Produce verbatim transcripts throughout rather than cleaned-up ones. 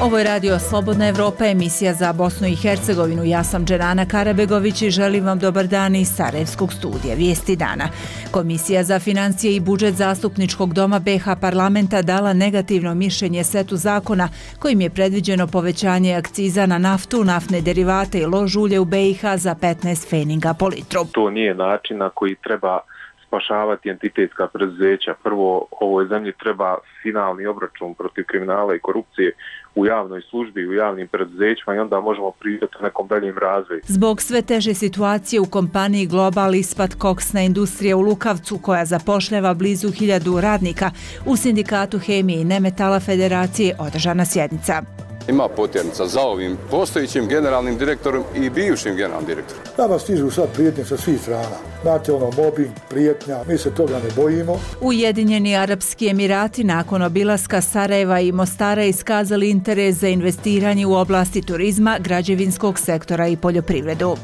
Ovo je radio Slobodna Evropa, emisija za Bosnu i Hercegovinu. Ja sam Dženana Karabegović i želim vam dobar dan iz Sarajevskog studija. Vijesti dana. Komisija za financije i budžet Zastupničkog doma be ha parlamenta dala negativno mišljenje setu zakona kojim je predviđeno povećanje akciza na naftu, naftne derivate i lož ulje u be i ha za petnaest pfeninga po litru. To nije način na koji treba spašavati entitetska preduzeća. Prvo, ovoj zemlji treba finalni obračun protiv kriminala i korupcije u javnoj službi i u javnim preduzećima i onda možemo pričati o nekom daljem razvoju. Zbog sve teže situacije u kompaniji Global Ispat Koksna industrija u Lukavcu, koja zapošljava blizu hiljadu radnika, u sindikatu hemije i nemetala federacije održana sjednica. Ima potjernica za ovim postojićim generalnim direktorom i bivšim generalnim direktorom. Nama stižu sad prijetnje sa svih strana. Znate, ono, mobbing, prijetnja, mi se toga ne bojimo. Ujedinjeni Arapski Emirati nakon obilaska Sarajeva i Mostara iskazali interes za investiranje u oblasti turizma, građevinskog sektora i poljoprivredu.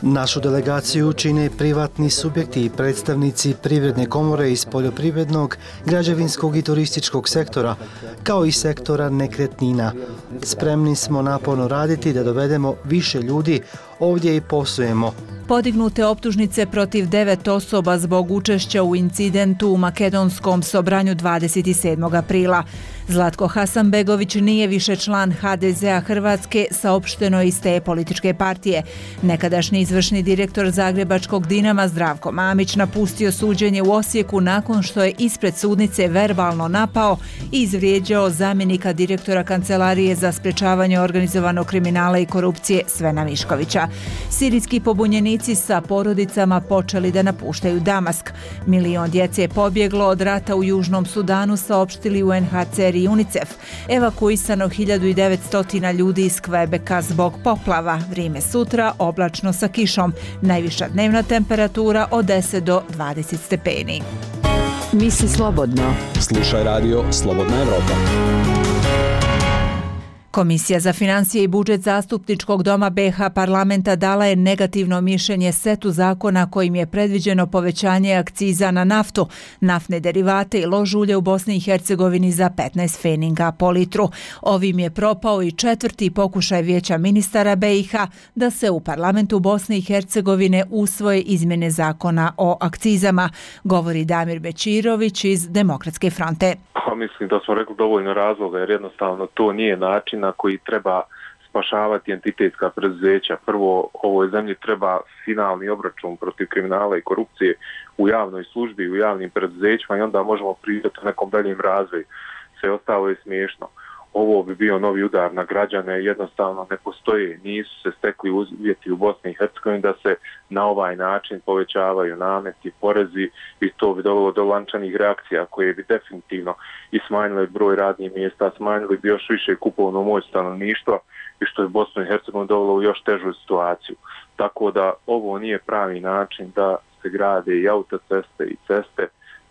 Našu delegaciju čine privatni subjekti i predstavnici privredne komore iz poljoprivrednog, građevinskog i turističkog sektora, kao i sektora nekretnina. Spremni smo naporno raditi da dovedemo više ljudi ovdje i poslujemo. Podignute optužnice protiv devet osoba zbog učešća u incidentu u makedonskom Sobranju dvadeset sedmog aprila. Zlatko Hasanbegović nije više član ha de zea Hrvatske, saopšteno iz te političke partije. Nekadašnji izvršni direktor zagrebačkog Dinama Zdravko Mamić napustio suđenje u Osijeku nakon što je ispred sudnice verbalno napao i izvrijeđao zamjenika direktora Kancelarije za sprečavanje organizovanog kriminala i korupcije Svena Miškovića. Sirijski pobunjenici sa porodicama počeli da napuštaju Damask. Milion djece je pobjeglo od rata u Južnom Sudanu, saopštili u en ha ce er i UNICEF. Evakuisano hiljadu devetsto ljudi iz Kvebeka zbog poplava. Vrijeme sutra oblačno sa kišom. Najviša dnevna temperatura od deset do dvadeset stepeni. Misli slobodno. Slušaj radio Slobodna Evropa. Komisija za financije i budžet Zastupničkog doma be ha parlamenta dala je negativno mišljenje setu zakona kojim je predviđeno povećanje akciza na naftu, naftne derivate i lož ulje u Bosni i Hercegovini za petnaest pfeninga po litru. Ovim je propao i četvrti pokušaj vijeća ministara be i ha da se u parlamentu Bosne i Hercegovine usvoje izmjene zakona o akcizama, govori Damir Bećirović iz Demokratske fronte. Pa mislim da smo rekli dovoljno razloga, jer jednostavno to nije način na koji treba spašavati entitetska preduzeća. Prvo, ovoj zemlji treba finalni obračun protiv kriminala i korupcije u javnoj službi i u javnim preduzećima i onda možemo pričati o nekom daljem razvoju. Sve ostalo je smiješno. Ovo bi bio novi udar na građane, jednostavno ne postoje, nisu se stekli uvjeti u Bosni i Hercegovini da se na ovaj način povećavaju nameti, porezi i to bi dovelo do lančanih reakcija koje bi definitivno i smanjile broj radnih mjesta, smanjili bi još više kupovnu moć stanovništva i što je Bosnu i Hercegovinu dovelo u još težu situaciju. Tako da ovo nije pravi način da se grade i autoceste i ceste,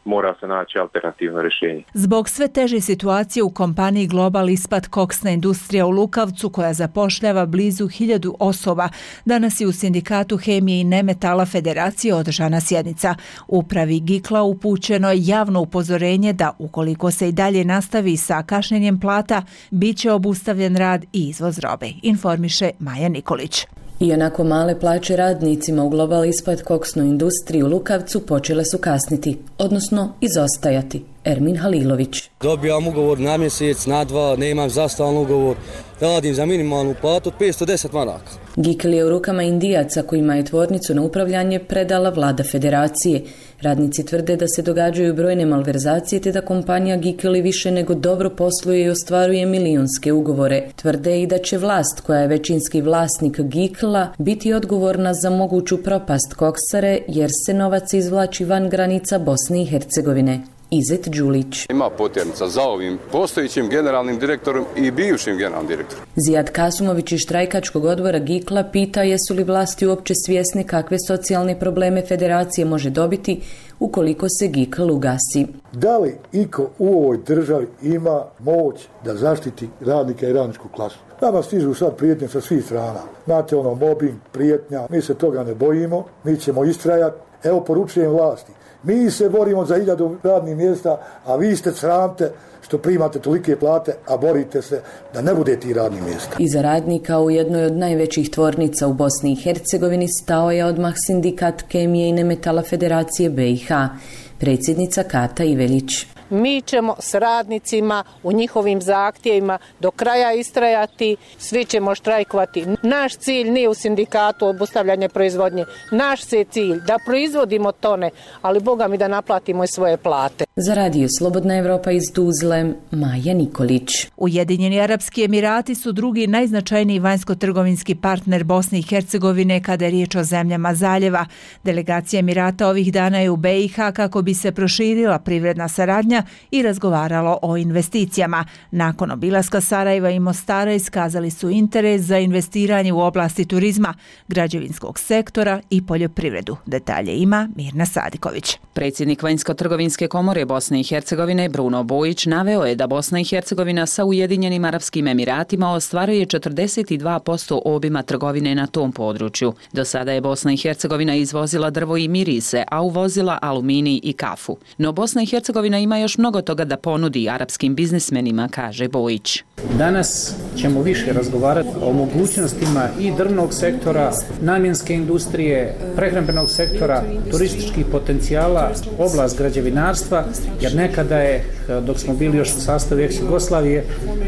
mora se naći alternativno rješenje. Zbog sve teže situacije u kompaniji Global Ispat Koksna industrija u Lukavcu, koja zapošljava blizu hiljadu osoba, danas je u sindikatu hemije i nemetala federacije održana sjednica. Upravi Gikla upućeno je javno upozorenje da ukoliko se i dalje nastavi sa kašnjenjem plata, bit će obustavljen rad i izvoz robe, informiše Maja Nikolić. Ionako male plaće radnicima u Global Ispat Koksnu industriju u Lukavcu počele su kasniti, odnosno izostajati. Ermin Halilović. Dobijam ugovor na mjesec, na dva, nemam za stalni ugovor, radim za minimalnu platu od petsto deset maraka. Gikl je u rukama Indijaca kojima je tvornicu na upravljanje predala vlada federacije. Radnici tvrde da se događaju brojne malverzacije te da kompanija Gikl više nego dobro posluje i ostvaruje milionske ugovore. Tvrde i da će vlast, koja je većinski vlasnik Gikla, biti odgovorna za moguću propast koksare jer se novac izvlači van granica Bosne i Hercegovine. Izet Đulić. Ima potjernica za ovim postojićim generalnim direktorom i bivšim generalnim direktorom. Zijad Kasumović iz štrajkačkog odbora Gikla pita jesu li vlasti uopće svjesni kakve socijalne probleme federacije može dobiti ukoliko se Gikl ugasi. Da li iko u ovoj državi ima moć da zaštiti radnika i radničku klasu? Nama stižu sad prijetnje sa svih strana. Znate, ono, mobbing, prijetnja, mi se toga ne bojimo, mi ćemo istrajati Evo poručujem vlasti. Mi se borimo za hiljadu radnih mjesta, a vi ste sramte što primate tolike plate, a borite se da ne bude ti radnih mjesta. Iza radnika u jednoj od najvećih tvornica u Bosni i Hercegovini stao je odmah sindikat kemije i nemetala Federacije B i H, predsjednica Kata Ivelić. Mi ćemo s radnicima u njihovim zahtjevima do kraja istrajati, svi ćemo štrajkovati. Naš cilj nije u sindikatu obustavljanje proizvodnje. Naš je cilj da proizvodimo tone, ali Boga mi da naplatimo i svoje plate. Za radio Slobodna Evropa iz Tuzle, Maja Nikolić. Ujedinjeni Arapski Emirati su drugi najznačajniji vanjsko-trgovinski partner Bosne i Hercegovine kada je riječ o zemljama zaljeva. Delegacija Emirata ovih dana je u B i H kako bi se proširila privredna saradnja i razgovaralo o investicijama. Nakon obilaska Sarajeva i Mostara iskazali su interes za investiranje u oblasti turizma, građevinskog sektora i poljoprivredu. Detalje ima Mirna Sadiković. Predsjednik Vanjsko-trgovinske komore Bosne i Hercegovine Bruno Bojić naveo je da Bosna i Hercegovina sa Ujedinjenim Arapskim Emiratima ostvaruje četrdeset dva posto obima trgovine na tom području. Do sada je Bosna i Hercegovina izvozila drvo i mirise, a uvozila aluminij i kafu. No Bosna i Hercegovina ima još mnogo toga da ponudi arapskim biznismenima, kaže Bojić. Danas ćemo više razgovarati o mogućnostima i drvnog sektora, namjenske industrije, prehrambenog sektora, turističkih potencijala, oblast građevinarstva, jer nekada je, dok smo bili još u sastavu ex-Jugoslavije,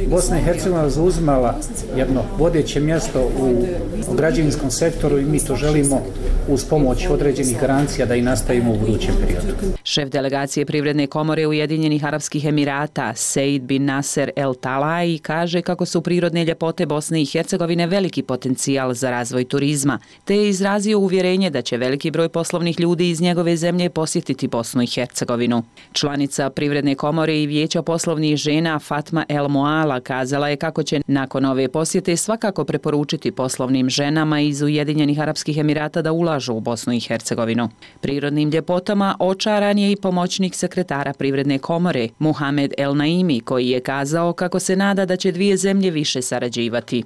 Bosna i Hercegovina zauzimala jedno vodeće mjesto u građevinskom sektoru i mi to želimo uz pomoć određenih garancija da i nastavimo u budućem periodu. Šef delegacije Privredne komore Ujedinjenih Arapskih Emirata Seid bin Nasser El Talai kaže kako su prirodne ljepote Bosne i Hercegovine veliki potencijal za razvoj turizma, te je izrazio uvjerenje da će veliki broj poslovnih ljudi iz njegove zemlje posjetiti Bosnu i Hercegovinu. Članica Privredne komore i Vijeća poslovnih žena Fatma El Moala kazala je kako će nakon ove posjete svakako preporučiti poslovnim ženama iz Ujedinjenih Arapskih Emirata da ulažu u Bosnu i Hercegovinu. Prirodnim ljepotama očaran je i pomoćnik sekretara Privredne komore Muhamed El Naimi, koji je kazao kako se nada da će dvije zemlje više sarađivati.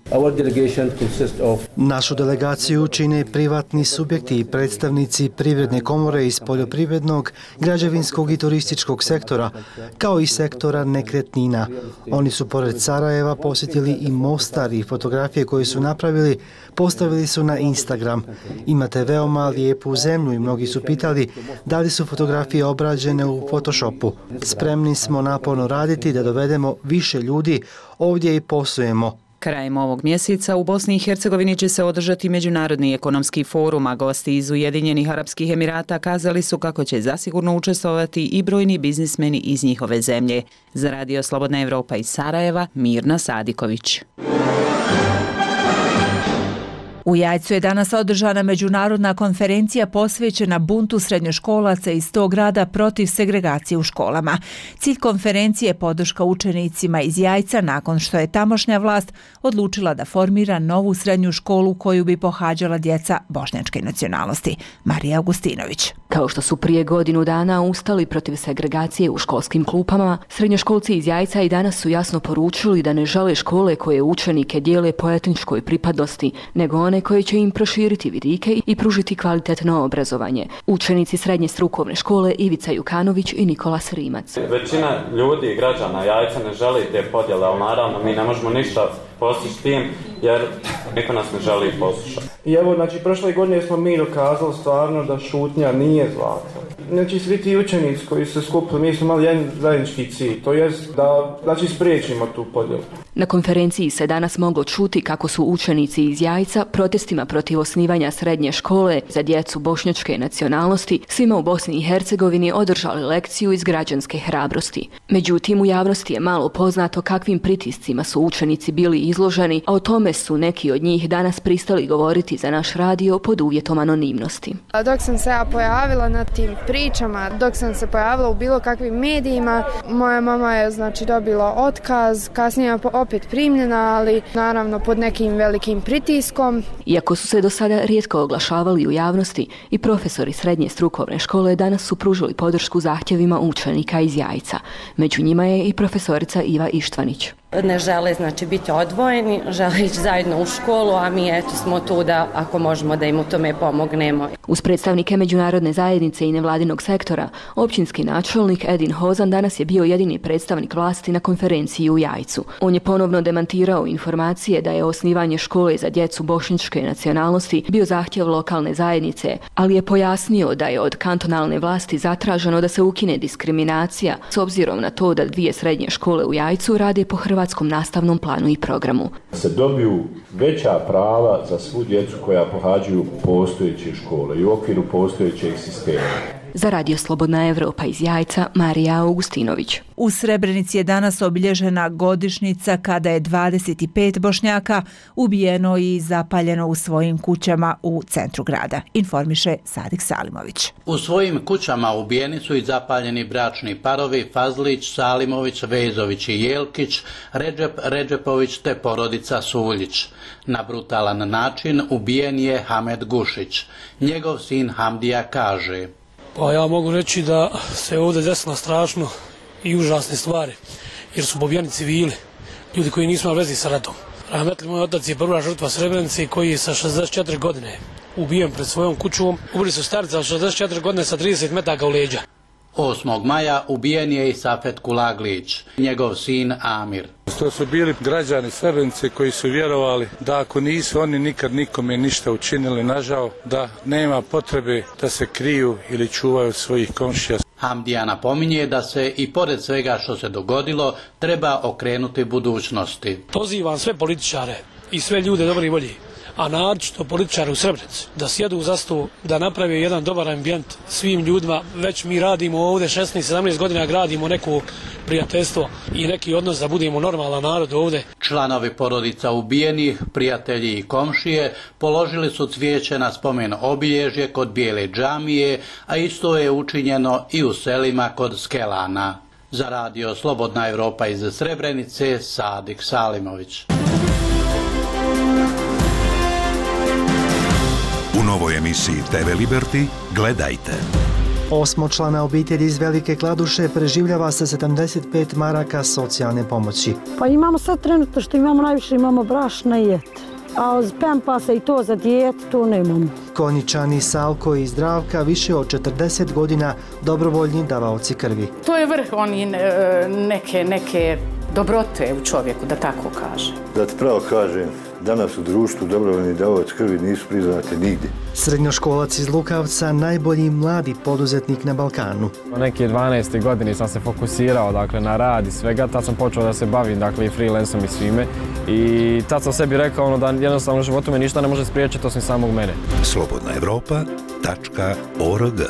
Našu delegaciju čine privatni subjekti i predstavnici Privredne komore iz poljoprivrednog, građevinskog i turističkog sektora, kao i sektora nekretnina. Oni su pored Sarajeva posjetili i Mostar i fotografije koje su napravili postavili su na Instagram. Imate veoma lijepu zemlju i mnogi su pitali da li su fotografije obrađene u Photoshopu. Spremni smo naporno raditi da dovedemo više ljudi ovdje i poslujemo. Krajem ovog mjeseca u Bosni i Hercegovini će se održati Međunarodni ekonomski forum, a gosti iz Ujedinjenih Arapskih Emirata kazali su kako će zasigurno učestvovati i brojni biznismeni iz njihove zemlje. Za radio Slobodna Evropa iz Sarajeva, Mirna Sadiković. U Jajcu je danas održana međunarodna konferencija posvećena buntu srednjoškolaca iz tog grada protiv segregacije u školama. Cilj konferencije je podrška učenicima iz Jajca nakon što je tamošnja vlast odlučila da formira novu srednju školu koju bi pohađala djeca bošnjačke nacionalnosti. Marija Augustinović. Kao što su prije godinu dana ustali protiv segregacije u školskim klupama, srednjoškolci iz Jajca i danas su jasno poručili da ne žele škole koje učenike dijele po etničkoj pripadnosti, nego one koje će im proširiti vidike i pružiti kvalitetno obrazovanje. Učenici srednje strukovne škole Ivica Jukanović i Nikola Rimac. Većina ljudi i građana Jajca ne želi te podjele, ali naravno mi ne možemo ništa postići tim jer niko nas ne želi poslušati. I evo, znači, prošle godine smo mi dokazali stvarno da šutnja nije zlato. Znači, svi ti učenici koji se skupili, mi smo imali jedan zajednički cilj, to jest da, znači, spriječimo tu podjelu. Na konferenciji se danas moglo čuti kako su učenici iz Jajca protestima protiv osnivanja srednje škole za djecu bošnjačke nacionalnosti svima u Bosni i Hercegovini održali lekciju iz građanske hrabrosti. Međutim, u javnosti je malo poznato kakvim pritiscima su učenici bili izloženi, a o tome su neki od njih danas pristali govoriti za naš radio pod uvjetom anonimnosti. Dok sam se ja pojavila na tim pričama, dok sam se pojavila u bilo kakvim medijima, moja mama je znači dobila otkaz, kasnije je opet primljena, ali naravno pod nekim velikim pritiskom. Iako su se do sada rijetko oglašavali u javnosti, i profesori srednje strukovne škole danas su pružili podršku zahtjevima učenika iz Jajca. Među njima je i profesorica Iva Ištvanić. Ne žele znači biti odvojeni, žele ići zajedno u školu, a mi eto smo tu da ako možemo da im u tome pomognemo. Uz predstavnike međunarodne zajednice i nevladinog sektora, općinski načelnik Edin Hozan danas je bio jedini predstavnik vlasti na konferenciji u Jajcu. On je ponovno demantirao informacije da je osnivanje škole za djecu bošnjačke nacionalnosti bio zahtjev lokalne zajednice, ali je pojasnio da je od kantonalne vlasti zatraženo da se ukine diskriminacija s obzirom na to da dvije srednje škole u Jajcu rade po hrvatskom nastavnom planu i programu. Se dobiju veća prava za svu djecu koja pohađaju postojeće škole i u okviru postojećeg sistema. Za Radio Slobodna Evropa iz Jajca, Marija Augustinović. U Srebrenici je danas obilježena godišnjica kada je dvadeset pet Bošnjaka ubijeno i zapaljeno u svojim kućama u centru grada, informiše Sadik Salimović. U svojim kućama ubijeni su i zapaljeni bračni parovi Fazlić, Salimović, Vezović i Jelkić, Redžep, Redžepović te porodica Suljić. Na brutalan način ubijen je Hamed Gušić. Njegov sin Hamdija kaže: Pa ja mogu reći da se ovdje desilo strašno i užasne stvari, jer su pobijeni civili, ljudi koji nisu imali veze sa ratom. Rahmetli moj otac je prva žrtva Srebrenice koji je sa šezdeset četiri godine ubijen pred svojom kućom. Ubili su starca od šezdeset četiri godine sa trideset metaka u leđa. osmog maja ubijen je i Safet Kulaglić, njegov sin Amir. To su bili građani Srebrenice koji su vjerovali da ako nisu oni nikad nikome ništa učinili, nažao, da nema potrebe da se kriju ili čuvaju svojih komšija. Hamdija napominje da se i pored svega što se dogodilo treba okrenuti budućnosti. Pozivam sve političare i sve ljude dobre volje, a naročito političare u Srebrenici, da sjedu za stol, da naprave jedan dobar ambijent svim ljudima. Već mi radimo ovdje šesnaest sedamnaest godina, gradimo neko prijateljstvo i neki odnos da budemo normalan narod ovdje. Članovi porodica ubijenih, prijatelji i komšije položili su cvijeće na spomen obilježje kod Bijele džamije, a isto je učinjeno i u selima kod Skelana. Za Radio Slobodna Evropa iz Srebrenice, Sadik Salimović. U novoj emisiji te ve Liberty gledajte. Osmočlana obitelj iz Velike Kladuše preživljava sa sedamdeset pet maraka socijalne pomoći. Pa imamo sad trenutno što imamo najviše, imamo brašna i jete. A od Pampasa i to za dijete, to nemamo. Konjičani Salko i Zdravka više od četrdeset godina dobrovoljni davaoci krvi. To je vrh oni neke, neke dobrote u čovjeku, da tako kaže. Da ti pravo kažem, danas u društvu dobrovoljni davaoci krvi nisu priznati nigdje. Srednjoškolac iz Lukavca, najbolji mladi poduzetnik na Balkanu. U neke dvanaeste godine sam se fokusirao dakle, na rad i svega, tad sam počeo da se bavim dakle, i freelanceom i svime. I tad sam sebi rekao ono, da jednostavno u životu me ništa ne može spriječiti osim samog mene. slobodna evropa tačka org.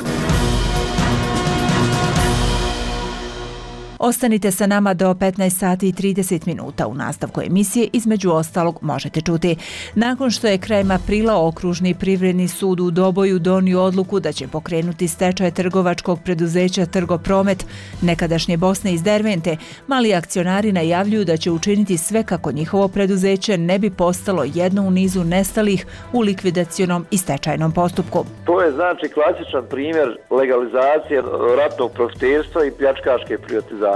Ostanite sa nama do petnaest sati i trideset minuta. U nastavku emisije između ostalog možete čuti. Nakon što je krajem aprila Okružni privredni sud u Doboju donio odluku da će pokrenuti stečaj trgovačkog preduzeća Trgopromet, nekadašnje Bosne iz Dervente, mali akcionari najavljuju da će učiniti sve kako njihovo preduzeće ne bi postalo jedno u nizu nestalih u likvidacionom i stečajnom postupku. To je znači klasičan primjer legalizacije ratnog profiterstva i pljačkaške privatizacije.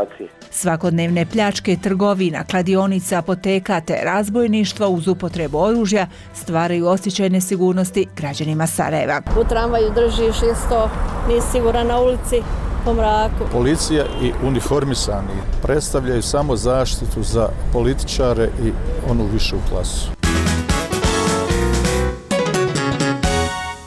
Svakodnevne pljačke trgovina, kladionica, apoteka te razbojništva uz upotrebu oružja stvaraju osjećaj nesigurnosti građanima Sarajeva. U tramvaju držiš isto, nisi siguran na ulici, po mraku. Policija i uniformisani predstavljaju samo zaštitu za političare i onu višu klasu.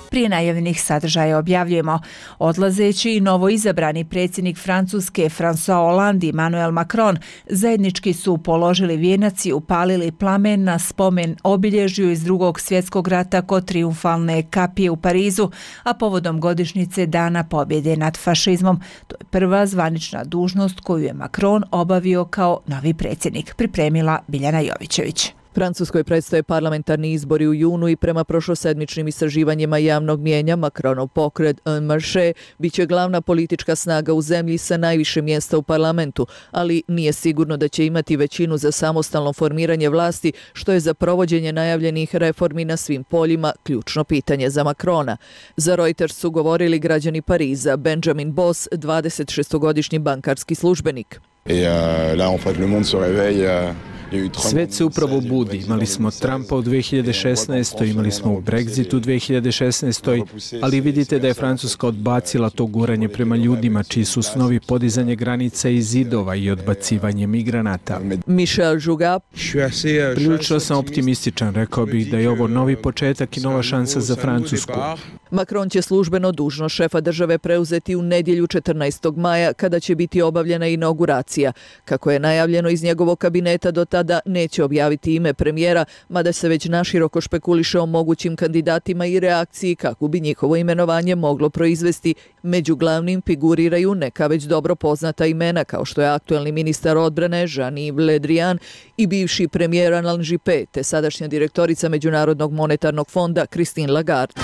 Prije najavljenih sadržaja objavljujemo. Odlazeći i novoizabrani predsjednik Francuske François Hollande i Emmanuel Macron zajednički su položili vijenac i upalili plamen na spomen obilježju iz drugog svjetskog rata kod Trijumfalne kapije u Parizu, a povodom godišnjice Dana pobjede nad fašizmom. To je prva zvanična dužnost koju je Macron obavio kao novi predsjednik, pripremila Biljana Jovićević. Francuskoj predstoje parlamentarni izbori u junu i prema prošlosedmičnim istraživanjima javnog mijenja Macronov pokret En Marche biće glavna politička snaga u zemlji sa najviše mjesta u parlamentu, ali nije sigurno da će imati većinu za samostalno formiranje vlasti, što je za provođenje najavljenih reformi na svim poljima ključno pitanje za Macrona. Za Reuters su govorili građani Pariza, Benjamin Boss, dvadesetšestogodišnji bankarski službenik. Svet se upravo budi. Imali smo Trumpa u dve hiljade šesnaestoj. imali smo Brexit u dve hiljade šesnaestoj. ali vidite da je Francuska odbacila to guranje prema ljudima, čiji su snovi podizanje granica i zidova i odbacivanje migranata. Michel Jougat. Prilično sam optimističan, rekao bih da je ovo novi početak i nova šansa za Francusku. Macron će službeno dužnost šefa države preuzeti u nedjelju četrnaestog maja, kada će biti obavljena inauguracija. Kako je najavljeno iz njegovog kabineta, do tada neće objaviti ime premijera, mada se već naširoko špekuliše o mogućim kandidatima i reakciji kako bi njihovo imenovanje moglo proizvesti. Među glavnim figuriraju neka već dobro poznata imena, kao što je aktuelni ministar odbrane Jean-Yves Le Drian i bivši premijer Alain Juppé, te sadašnja direktorica Međunarodnog monetarnog fonda Christine Lagarde.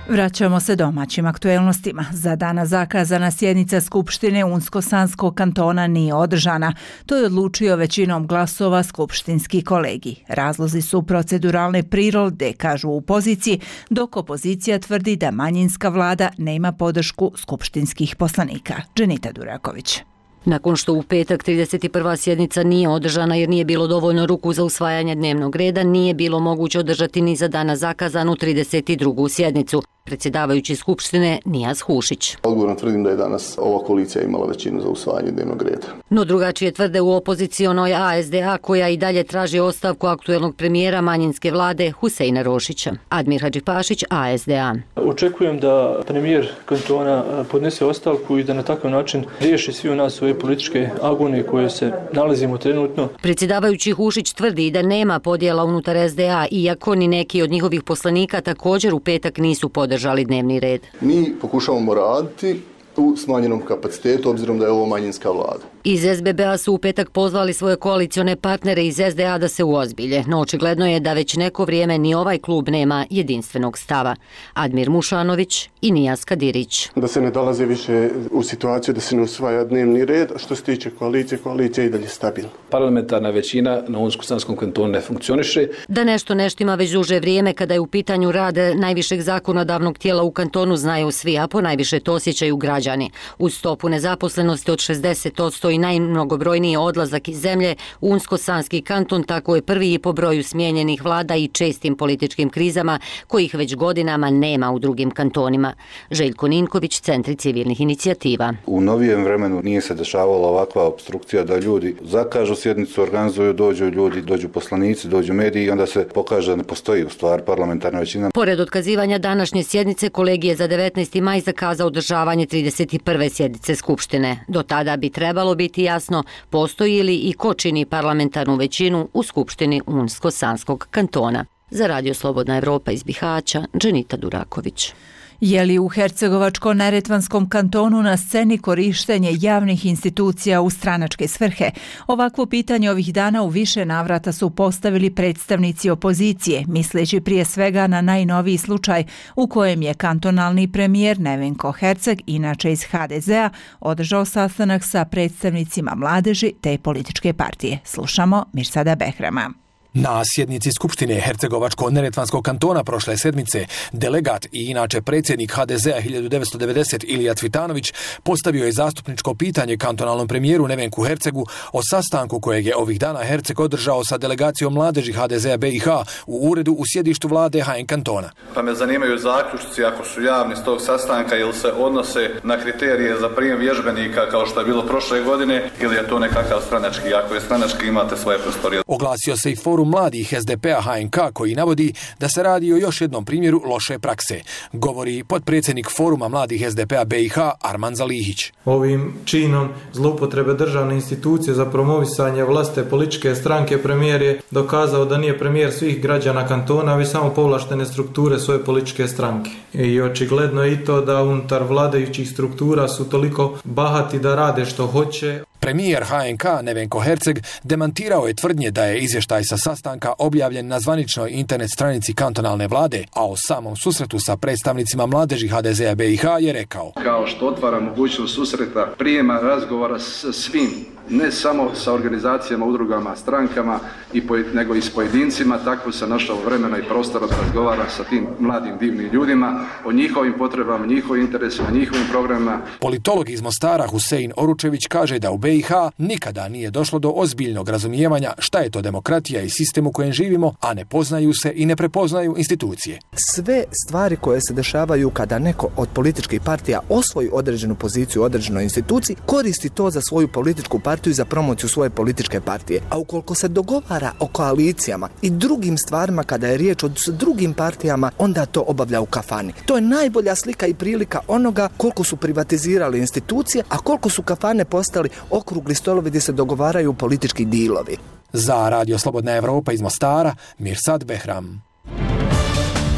Vraćamo se domaćim aktuelnostima. Za dana zakazana sjednica Skupštine Unsko-Sanskog kantona nije održana. To je odlučio većinom glasova skupštinski kolegi. Razlozi su proceduralne prirode, kažu u opoziciji, dok opozicija tvrdi da manjinska vlada nema podršku skupštinskih poslanika. Dženita Duraković. Nakon što u petak trideset prva sjednica nije održana jer nije bilo dovoljno ruku za usvajanje dnevnog reda, nije bilo moguće održati ni za dana zakazanu trideset drugu sjednicu. Predsjedavajući Skupštine Nijaz Hušić. Odgovorno tvrdim da je danas ova koalicija imala većinu za usvajanje dnevnog reda. No drugačije tvrde u opozicionoj A S D A, koja i dalje traži ostavku aktuelnog premijera manjinske vlade Huseina Rošića. Admir Hadžipašić, A S D A. Očekujem da premijer kantona podnese ostavku i da na takav način riješi svi u nas ove političke agonije koje se nalazimo trenutno. Predsjedavajući Hušić tvrdi da nema podjela unutar S D A, iako ni neki od njihovih poslanika također u petak nisu podržali žali dnevni red. Mi pokušavamo raditi u smanjenom kapacitetu, obzirom da je ovo manjinska vlada. Iz S B B-a su u petak pozvali svoje koalicione partnere iz S D A da se uozbilje, no očigledno je da već neko vrijeme ni ovaj klub nema jedinstvenog stava. Admir Mušanović i Nijaz Kadirić. Da se ne dolaze više u situaciju da se ne usvaja dnevni red, što se tiče koalicije, koalicija je i dalje stabilna. Parlamentarna većina na Unsko-Sanskom kantonu ne funkcioniše. Da nešto neštima već duže vrijeme kada je u pitanju rad najvišeg zakonodavnog tijela u kantonu znaju svi, a ponajviše to osjećaju građani. Uz stopu nezaposlenosti od šezdeset posto i najmnogobrojniji odlazak iz zemlje, Unsko-Sanski kanton tako je prvi i po broju smijenjenih vlada i čestim političkim krizama, kojih već godinama nema u drugim kantonima. Željko Ninković, Centri civilnih inicijativa. U novijem vremenu nije se dešavala ovakva opstrukcija da ljudi zakažu sjednicu, organizuju, dođu ljudi, dođu poslanici, dođu mediji i onda se pokaže da ne postoji u stvari parlamentarna većina. Pored otkazivanja današnje sjednice, kolegij je za devetnaesti maj zakazao održavanje trideset prve sjednice Skupštine. Do tada bi trebalo biti jasno postoji li i ko čini parlamentarnu većinu u Skupštini Unsko-Sanskog kantona. Za Radio Slobodna Evropa iz Bihaća, Dženita Duraković. Je li u Hercegovačko-neretvanskom kantonu na sceni korištenje javnih institucija u stranačke svrhe? Ovakvo pitanje ovih dana u više navrata su postavili predstavnici opozicije, misleći prije svega na najnoviji slučaj u kojem je kantonalni premijer Nevenko Herceg, inače iz H D Z-a, održao sastanak sa predstavnicima mladeži te političke partije. Slušamo Mirsada Behrama. Na sjednici Skupštine Hercegovačko-neretvanskog kantona prošle sedmice delegat i inače predsjednik H D Z-a hiljadu devetsto devedeset Ilija Cvitanović postavio je zastupničko pitanje kantonalnom premijeru Nevenku Hercegu o sastanku kojeg je ovih dana Herceg održao sa delegacijom mladeži H D Z-a B i H u uredu u sjedištu vlade H N kantona. Pa me zanimaju zaključci, ako su javni s tog sastanka, ili se odnose na kriterije za prijem vježbenika kao što je bilo prošle godine, ili je to nekakav stranački? Ako je stranački, imate svoje prostorije. Oglasio se i forum mladih S D P-a H N K koji navodi da se radi o još jednom primjeru loše prakse. Govori potpredsjednik foruma mladih S D P-a B i H Arman Zalihić. Ovim činom zloupotrebe državne institucije za promovisanje vlastite političke stranke premijer je dokazao da nije premijer svih građana kantona, već samo povlaštene strukture svoje političke stranke. I očigledno je i to da unutar vladajućih struktura su toliko bahati da rade što hoće. Premijer H N K Nevenko Herceg demantirao je tvrdnje da je izvještaj sa sastanka objavljen na zvaničnoj internet stranici kantonalne vlade, a o samom susretu sa predstavnicima mladeži H D Z-a B i H je rekao: Kao što otvara mogućnost susreta, prijema razgovora s svim ne samo sa organizacijama, udrugama, strankama, i poj, nego i s pojedincima. Tako se našao vremena i prostora da razgovara sa tim mladim divnim ljudima o njihovim potrebama, njihovim interesima, njihovim programima. Politolog iz Mostara Husein Oručević kaže da u B i H nikada nije došlo do ozbiljnog razumijevanja šta je to demokratija i sistem u kojem živimo, a ne poznaju se i ne prepoznaju institucije. Sve stvari koje se dešavaju kada neko od političkih partija osvoji određenu poziciju u određenoj instituciji, koristi to za svoju političku partiju i za promociju svoje političke partije. A ukoliko se dogovara o koalicijama i drugim stvarima kada je riječ o drugim partijama, onda to obavlja u kafani. To je najbolja slika i prilika onoga koliko su privatizirali institucije, a koliko su kafane postali okrugli stolovi gdje se dogovaraju politički dilovi. Za Radio Slobodna Evropa iz Mostara, Mirsad Behram.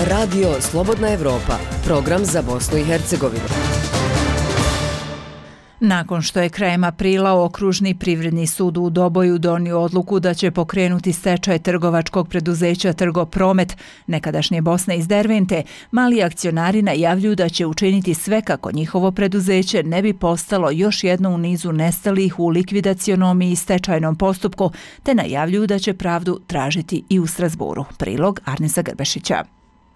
Radio Slobodna Evropa, program za Bosnu i Hercegovinu. Nakon što je krajem aprila Okružni privredni sud u Doboju donio odluku da će pokrenuti stečaj trgovačkog preduzeća Trgopromet, nekadašnje Bosne iz Dervente, mali akcionari najavljuju da će učiniti sve kako njihovo preduzeće ne bi postalo još jedno u nizu nestalih u likvidacionom i stečajnom postupku, te najavljuju da će pravdu tražiti i u Strasburu. Prilog Arnesa Grbešića.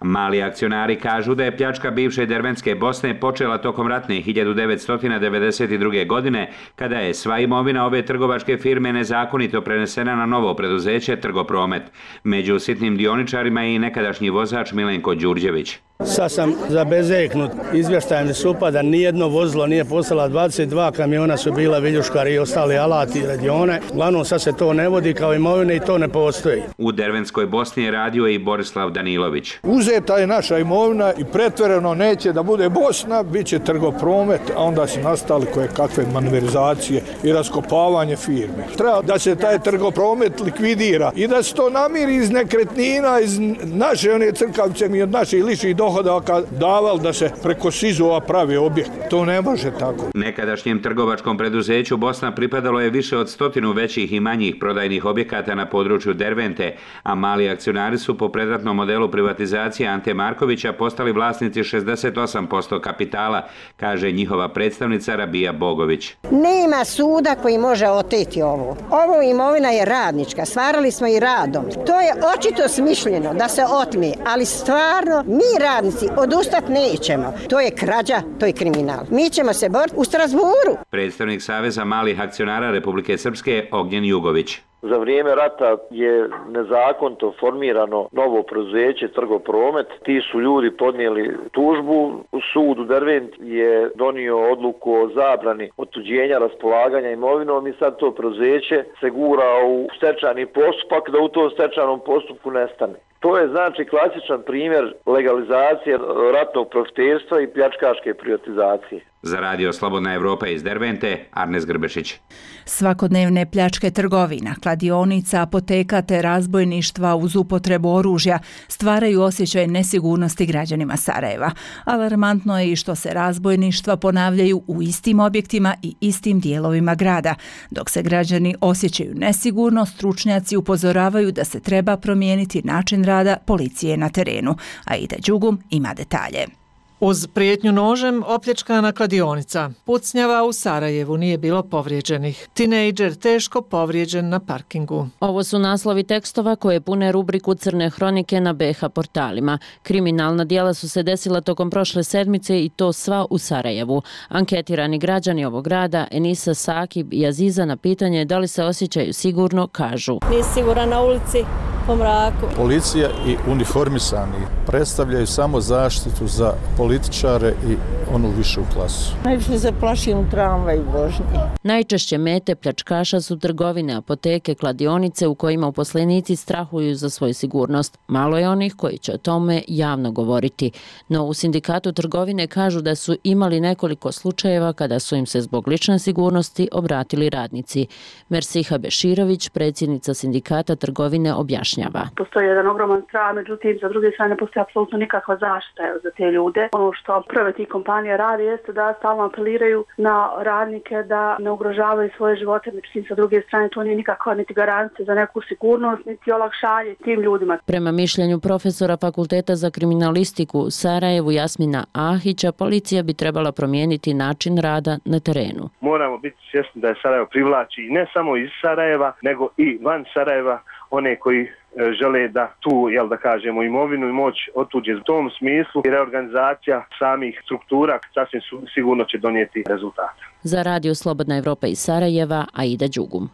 Mali akcionari kažu da je pljačka bivše Derventske Bosne počela tokom ratne hiljadu devetsto devedeset druge. godine, kada je sva imovina ove trgovačke firme nezakonito prenesena na novo preduzeće Trgopromet. Među sitnim dioničarima je i nekadašnji vozač Milenko Đurđević. Sad sam zabezeknut izvještajem da se upada, nijedno vozilo nije postala, dvadeset dva kamiona su bila viljuškari i ostali alati i radione. Uglavnom sad se to ne vodi kao imovine i to ne postoji. U Derventskoj Bosni je radio i Borislav Danilović. Uzeta je naša imovina i pretvoreno neće da bude Bosna, bit će Trgopromet, a onda su nastali koje kakve maneverizacije i raskopavanje firme. Treba da se taj Trgopromet likvidira i da se to namiri iz nekretnina, iz naše one crkavce mi od naših ličnih dohodaka davali da se preko SIZ-ova pravi objekt. To ne može tako. Nekadašnjem trgovačkom preduzeću Bosna pripadalo je više od stotinu većih i manjih prodajnih objekata na području Dervente, a mali akcionari su po predratnom modelu privatizacije Ante Markovića postali vlasnici šezdeset osam posto kapitala, kaže njihova predstavnica Rabija Bogović. Nema suda koji može oteti ovo. Ovo imovina je radnička, stvarali smo i radom. To je očito smišljeno da se otme, ali stvarno mi radnici odustat nećemo. To je krađa, to je kriminal. Mi ćemo se boriti u Strasburu. Predstavnik Saveza malih akcionara Republike Srpske Ognjen Jugović. Za vrijeme rata je nezakonito formirano novo preduzeće Trgopromet. Ti su ljudi podnijeli tužbu. Sud u Dervent je donio odluku o zabrani otuđenja raspolaganja imovinom i sad to preduzeće se gura u stečajni postupak da u tom stečajnom postupku nestane. To je znači klasičan primjer legalizacije ratnog profiterstva i pljačkaške privatizacije. Za Radio Slobodna Evropa iz Dervente, Arnes Grbešić. Svakodnevne pljačke trgovina, kladionica, apoteka te razbojništva uz upotrebu oružja stvaraju osjećaj nesigurnosti građanima Sarajeva. Alarmantno je i što se razbojništva ponavljaju u istim objektima i istim dijelovima grada. Dok se građani osjećaju nesigurno, stručnjaci upozoravaju da se treba promijeniti način rada policije na terenu. Aida Đugum ima detalje. Uz prijetnju nožem opljačkana kladionica. Pucnjava u Sarajevu, nije bilo povrijeđenih. Tinejdžer teško povrijeđen na parkingu. Ovo su naslovi tekstova koje pune rubriku Crne hronike na B H portalima. Kriminalna djela su se desila tokom prošle sedmice i to sva u Sarajevu. Anketirani građani ovog grada, Enisa, Sakib i Aziza, na pitanje da li se osjećaju sigurno, kažu: Nisi siguran na ulici po mraku. Policija i uniformisani predstavljaju samo zaštitu za političare i onu višu klasu. Najviše se plašim u tramvaju vožnji. Najčešće mete pljačkaša su trgovine, apoteke, kladionice u kojima uposlenici strahuju za svoju sigurnost. Malo je onih koji će o tome javno govoriti. No u sindikatu trgovine kažu da su imali nekoliko slučajeva kada su im se zbog lične sigurnosti obratili radnici. Mersiha Beširović, predsjednica sindikata trgovine, objašnjava: objašnjava. Postoji jedan ogroman strah, međutim, za druge strane postoji apsolutno nikakva zaštita za te ljude. Ono što prve tih kompanija radi jeste da stalno apeliraju na radnike da ne ugrožavaju svoje živote, međutim, sa druge strane to nije nikakva niti garancija za neku sigurnost, niti olakšanje tim ljudima. Prema mišljenju profesora Fakulteta za kriminalistiku u Sarajevu Jasmina Ahića, policija bi trebala promijeniti način rada na terenu. Moramo biti svjesni da je Sarajevo privlači ne samo iz Sarajeva, nego i van Sarajeva one koji žele da tu, jel da kažemo, imovinu i moć otuđe. U tom smislu i reorganizacija samih struktura sasvim sigurno će donijeti rezultate. Za Radio Slobodna Evropa iz Sarajeva, Aida Đugum.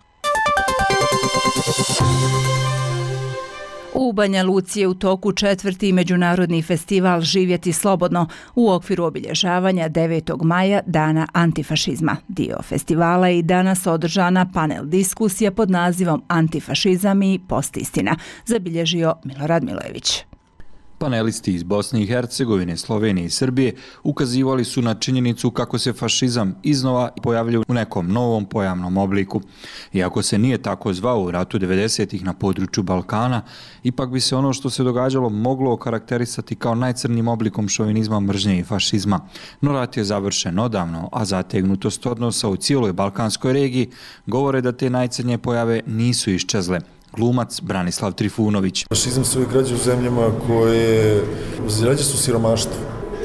U Banja Luci je u toku četvrti međunarodni festival Živjeti slobodno u okviru obilježavanja devetog maja Dana antifašizma. Dio festivala je i danas održana panel diskusija pod nazivom Antifašizam i postistina, zabilježio Milorad Milojević. Panelisti iz Bosne i Hercegovine, Slovenije i Srbije ukazivali su na činjenicu kako se fašizam iznova pojavljuje u nekom novom pojavnom obliku. Iako se nije tako zvao u ratu devedesetih na području Balkana, ipak bi se ono što se događalo moglo okarakterisati kao najcrnjim oblikom šovinizma, mržnje i fašizma. No rat je završen odavno, a zategnutost odnosa u cijeloj balkanskoj regiji govore da te najcrnje pojave nisu iščezle. Glumac Branislav Trifunović. Fašizam se uvijek rađa u zemljama koje rađa su siromaštvo.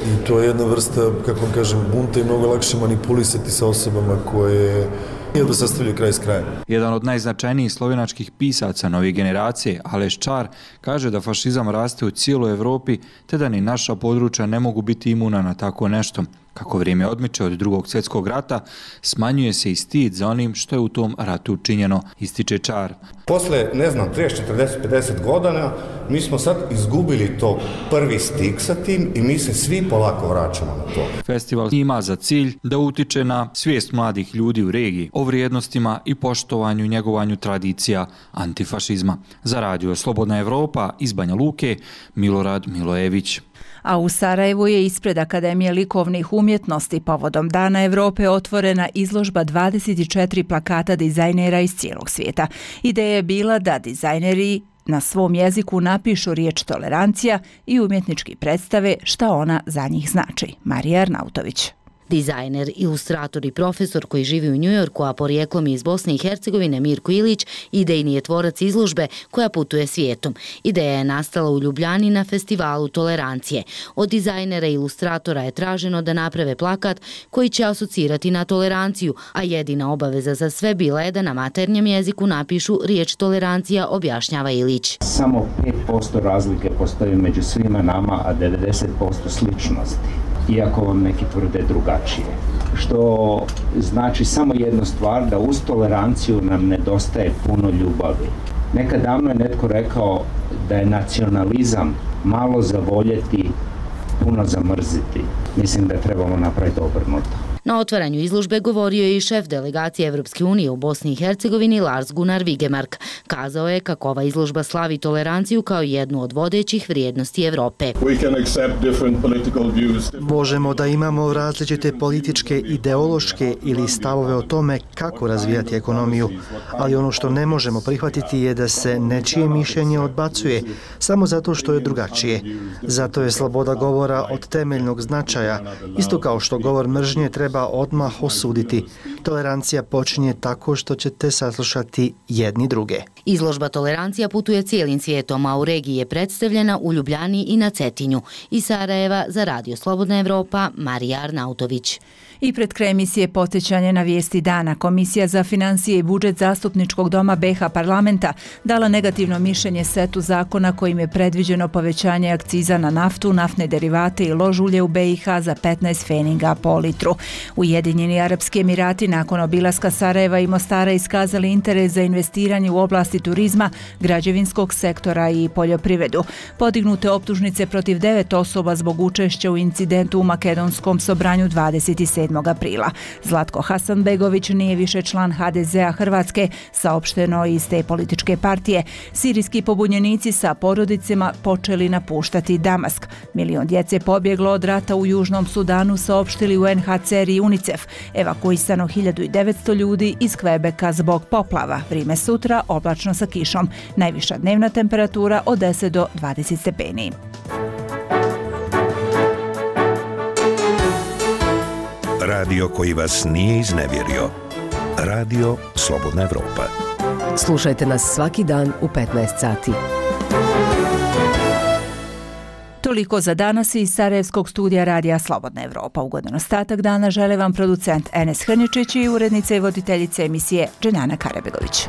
I to je jedna vrsta, kako vam kažem, bunta i mnogo lakše manipulisati sa osobama koje da sastavljaju kraj s krajem. Jedan od najznačajnijih slovenačkih pisaca nove generacije, Aleš Čar, kaže da fašizam raste u cijeloj Evropi, te da ni naša područja ne mogu biti imuna na tako nešto. Kako vrijeme odmiče od drugog svjetskog rata, smanjuje se i stid za onim što je u tom ratu učinjeno, ističe Čar. Posle, ne znam, trideset, četrdeset, pedeset godina, mi smo sad izgubili to prvi stik sa tim i mi se svi polako vraćamo na to. Festival ima za cilj da utiče na svijest mladih ljudi u regiji o vrijednostima i poštovanju i njegovanju tradicija antifašizma. Za Radio Slobodna Evropa iz Banja Luke, Milorad Milojević. A u Sarajevu je ispred Akademije likovnih umjetnosti povodom Dana Evrope otvorena izložba dvadeset četiri plakata dizajnera iz cijelog svijeta. Ideja je bila da dizajneri na svom jeziku napišu riječ tolerancija i umjetnički predstave šta ona za njih znači. Marija Arnautović. Dizajner, ilustrator i profesor koji živi u Njujorku, a porijeklom iz Bosne i Hercegovine, Mirko Ilić, idejni je tvorac izložbe koja putuje svijetom. Ideja je nastala u Ljubljani na festivalu tolerancije. Od dizajnera i ilustratora je traženo da naprave plakat koji će asocirati na toleranciju, a jedina obaveza za sve bila je da na maternjem jeziku napišu riječ tolerancija, objašnjava Ilić. Samo pet posto razlike postoji među svima nama, a devedeset posto sličnosti, iako vam neki tvrde drugačije. Što znači samo jednu stvar, da uz toleranciju nam nedostaje puno ljubavi. Nekad davno je netko rekao da je nacionalizam malo zavoljeti, puno zamrziti. Mislim da trebamo napraviti obrnuto. Na otvaranju izložbe govorio je i šef delegacije Evropske unije u Bosni i Hercegovini Lars Gunnar Vigemark. Kazao je kako ova izložba slavi toleranciju kao jednu od vodećih vrijednosti Evrope. Možemo da imamo različite političke, ideološke ili stavove o tome kako razvijati ekonomiju, ali ono što ne možemo prihvatiti je da se nečije mišljenje odbacuje samo zato što je drugačije. Zato je sloboda govora od temeljnog značaja, isto kao što govor mržnje treba odmah osuditi. Tolerancija počinje tako što ćete saslušati jedni druge. Izložba Tolerancija putuje cijelim svijetom, a u regiji je predstavljena u Ljubljani i na Cetinju. Iz Sarajeva za Radio Slobodna Evropa, Marija Arnautović. I pred kraj emisije podsjećanje na vijesti dana. Komisija za financije i budžet Zastupničkog doma B H parlamenta dala negativno mišljenje setu zakona kojim je predviđeno povećanje akciza na naftu, naftne derivate i lož ulje u B i H za petnaest feninga po litru. Ujedinjeni Arapski Emirati nakon obilaska Sarajeva i Mostara iskazali interes za investiranje u oblasti turizma, građevinskog sektora i poljoprivredu. Podignute optužnice protiv devet osoba zbog učešća u incidentu u makedonskom Sobranju dvadeset sedmog sedmog aprila. Zlatko Hasanbegović nije više član ha de zea Hrvatske, saopšteno iz te političke partije. Sirijski pobunjenici sa porodicama počeli napuštati Damask. Milion djece pobjeglo od rata u Južnom Sudanu, saopštili u en ha ce er i UNICEF. Evakuisano hiljadu devetsto ljudi iz Kvebeka zbog poplava. Vrime sutra oblačno sa kišom. Najviša dnevna temperatura od deset do dvadeset stepeni. Radio koji vas nije iznevjerio. Radio Slobodna Evropa. Slušajte nas svaki dan u petnaest sati. Toliko za danas iz Sarajevskog studija Radija Slobodna Evropa. Ugodan ostatak dana žele vam producent Enes Hrničić i urednica i voditeljica emisije Dženana Karabegović.